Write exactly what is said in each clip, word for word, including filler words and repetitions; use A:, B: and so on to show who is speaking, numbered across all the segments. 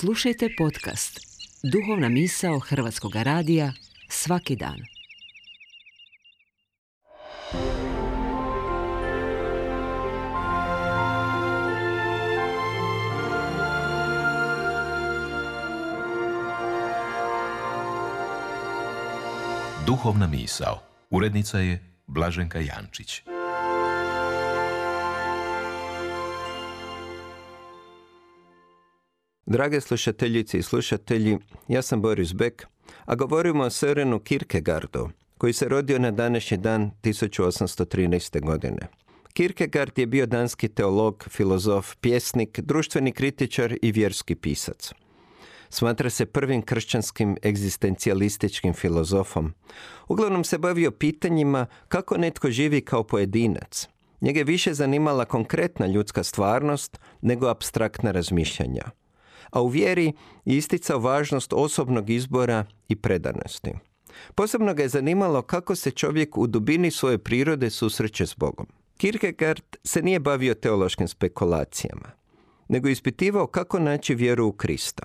A: Slušajte podcast Duhovna misao Hrvatskog radija svaki dan.
B: Duhovna misao. Urednica je Blaženka Jančić.
C: Drage slušateljice i slušatelji, ja sam Boris Beck, a govorimo o Sørenu Kierkegaardu, koji se rodio na današnji dan tisuću osamsto trinaeste. godine. Kierkegaard je bio danski teolog, filozof, pjesnik, društveni kritičar i vjerski pisac. Smatra se prvim kršćanskim egzistencijalističkim filozofom. Uglavnom se bavio pitanjima kako netko živi kao pojedinac. Njega je više zanimala konkretna ljudska stvarnost nego apstraktna razmišljanja. A u vjeri je isticao važnost osobnog izbora i predanosti. Posebno ga je zanimalo kako se čovjek u dubini svoje prirode susreće s Bogom. Kierkegaard se nije bavio teološkim spekulacijama, nego ispitivao kako naći vjeru u Krista.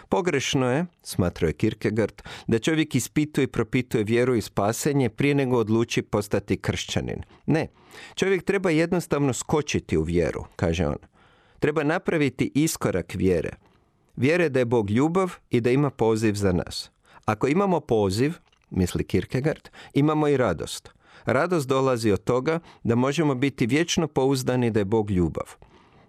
C: Pogrešno je, smatrao je Kierkegaard, da čovjek ispituje i propituje vjeru i spasenje prije nego odluči postati kršćanin. Ne, čovjek treba jednostavno skočiti u vjeru, kaže on. Treba napraviti iskorak vjere. Vjere da je Bog ljubav i da ima poziv za nas. Ako imamo poziv, misli Kierkegaard, imamo i radost. Radost dolazi od toga da možemo biti vječno pouzdani da je Bog ljubav.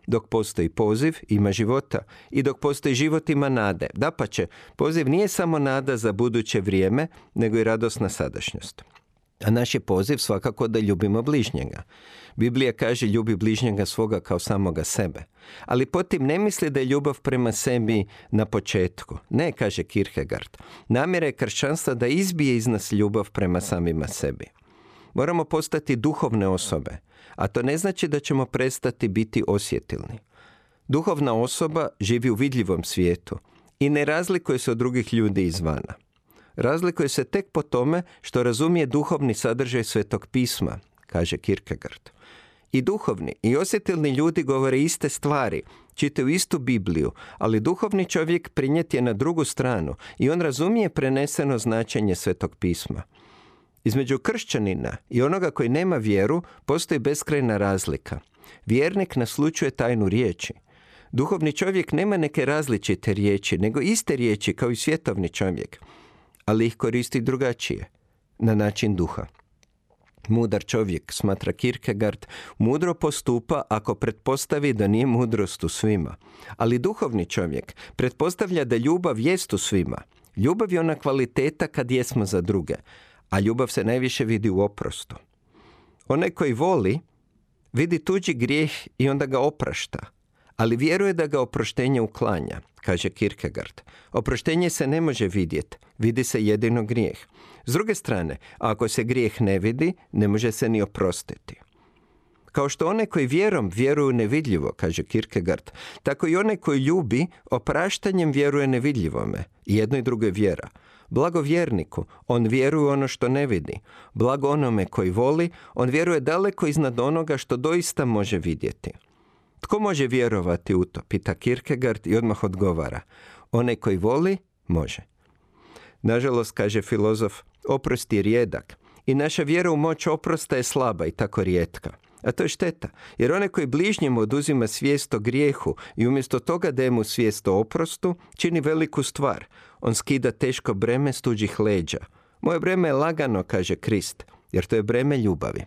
C: Dok postoji poziv, ima života. I dok postoji život, ima nade. Dapače, poziv nije samo nada za buduće vrijeme, nego i radosna sadašnjost. A naš je poziv svakako da ljubimo bližnjega. Biblija kaže ljubi bližnjega svoga kao samoga sebe. Ali potim ne misli da je ljubav prema sebi na početku. Ne, kaže Kierkegaard. Namjera je kršćanstva da izbije iz nas ljubav prema samima sebi. Moramo postati duhovne osobe, a to ne znači da ćemo prestati biti osjetilni. Duhovna osoba živi u vidljivom svijetu i ne razlikuje se od drugih ljudi izvana. Razlikuje se tek po tome što razumije duhovni sadržaj Svetog pisma, kaže Kierkegaard. I duhovni i osjetilni ljudi govore iste stvari, čitaju istu Bibliju, ali duhovni čovjek prinijet je na drugu stranu i on razumije preneseno značenje Svetog pisma. Između kršćanina i onoga koji nema vjeru postoji beskrajna razlika. Vjernik naslućuje tajnu riječi. Duhovni čovjek nema neke različite riječi, nego iste riječi kao i svjetovni čovjek, ali ih koristi drugačije, na način duha. Mudar čovjek, smatra Kierkegaard, mudro postupa ako pretpostavi da nije mudrost u svima. Ali duhovni čovjek pretpostavlja da ljubav jest u svima. Ljubav je ona kvaliteta kad jesmo za druge, a ljubav se najviše vidi u oprostu. Onaj koji voli, vidi tuđi grijeh i onda ga oprašta, ali vjeruje da ga oproštenje uklanja, kaže Kierkegaard. Oproštenje se ne može vidjeti, vidi se jedino grijeh. S druge strane, ako se grijeh ne vidi, ne može se ni oprostiti. Kao što onaj koji vjerom vjeruju nevidljivo, kaže Kierkegaard, tako i onaj koji ljubi opraštanjem vjeruje nevidljivome. I jedno i drugo je vjera. Blago vjerniku, on vjeruje ono što ne vidi. Blago onome koji voli, on vjeruje daleko iznad onoga što doista može vidjeti. Tko može vjerovati u to, pita Kierkegaard i odmah odgovara. Onaj koji voli, može. Nažalost, kaže filozof, oprost je rijedak i naša vjera u moć oprosta je slaba i tako rijetka. A to je šteta, jer onaj koji bližnjemu oduzima svijest o grijehu i umjesto toga daje mu svijest o oprostu, čini veliku stvar. On skida teško breme s tuđih leđa. Moje breme je lagano, kaže Krist, jer to je breme ljubavi.